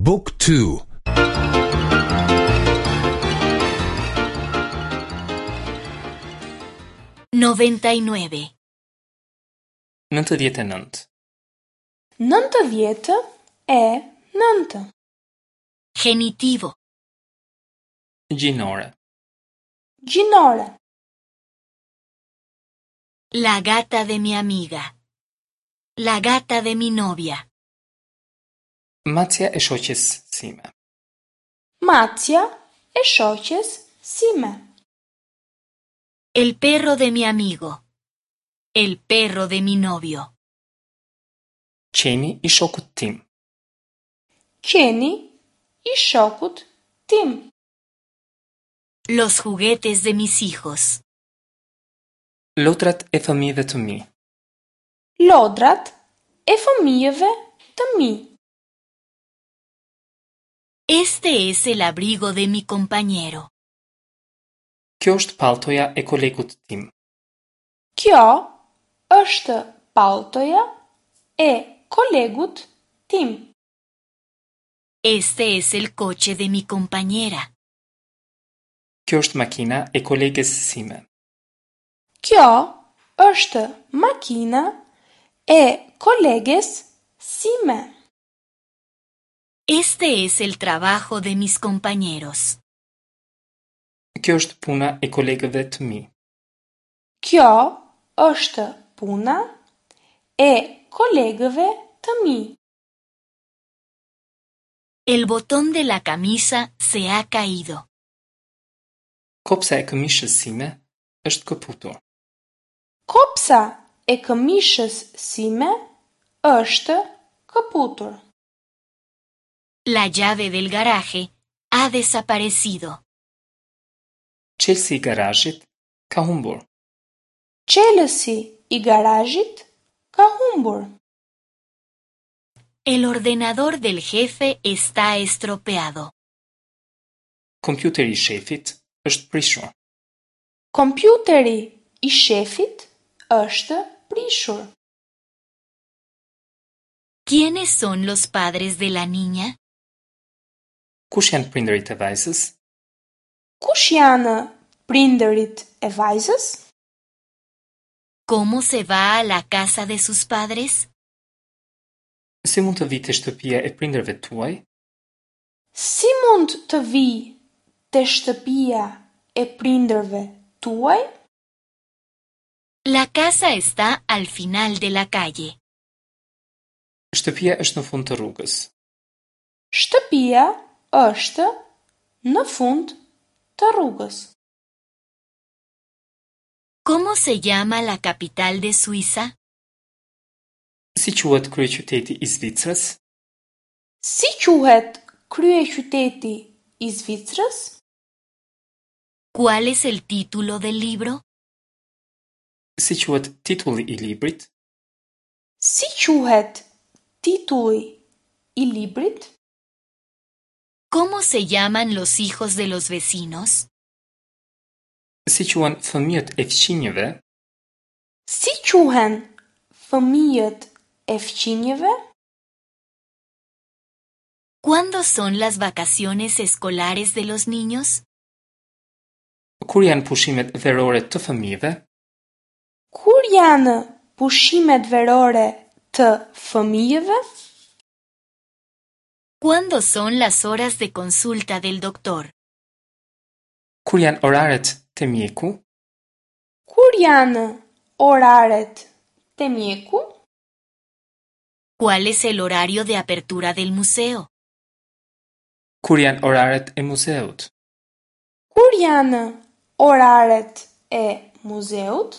บุ๊กทู 99. 99. 99. Genitivo. Gjinore. Gjinore. La gata de mi amiga. La gata de mi novia. Macja e shoqes sime. Macja e shoqes sime. El perro de mi amigo. El perro de mi novio. Qeni i shokut tim. Qeni i shokut tim. Los juguetes de mis hijos. Lodrat e fëmijëve të mi. Lodrat e fëmijëve të mi. Este es el abrigo de mi compañero. Kjo është palltoja e kolegut tim. Kjo është palltoja e kolegut tim. Este es el coche de mi compañera. Kjo është makina e koleges sime. Kjo është makina e koleges sime. Este es el trabajo de mis compañeros. Kjo është puna e kolegëve të mi. Kjo është puna e kolegëve të mi. El botón de la camisa se ha caído. Kopsa e këmishës sime është këputur. Kopsa e këmishës sime është këputur. La llave del garaje ha desaparecido. Çelësi i garazhit ka humbur. Çelësi i garazhit ka humbur. El ordenador del jefe está estropeado. Kompjuteri i shefit është prishur. Kompjuteri i shefit është prishur. ¿Quiénes son los padres de la niña? Kush janë prindërit e vajzës? Kush janë prindërit e vajzës? ¿Cómo se va a la casa de sus padres? Si mund të vij te shtëpia e prindërve tuaj? Si mund të vij te shtëpia e prindërve tuaj? La casa está al final de la calle. Shtëpia është në fund të rrugës. Shtëpia është në fund të rrugës. ¿Cómo se llama la capital de Suiza? Si quhet kryeqyteti i Zvicrës? Si quhet kryeqyteti i Zvicrës? ¿Cuál es el título del libro? Si quhet titulli i librit? Si quhet titulli i librit? ¿Cómo se llaman los hijos de los vecinos? Si quhen fëmijët e fqinjëve? Si quhen fëmijët e fqinjëve? ¿Cuándo son las vacaciones escolares de los niños? Kur janë pushimet verore të fëmijëve? Kur janë pushimet verore të fëmijëve? ¿Cuándo son las horas de consulta del doctor? Kur janë oraret te mjeku? Kur janë oraret te mjeku? ¿Cuál es el horario de apertura del museo? Kur janë oraret e muzeut? Kur janë oraret e muzeut?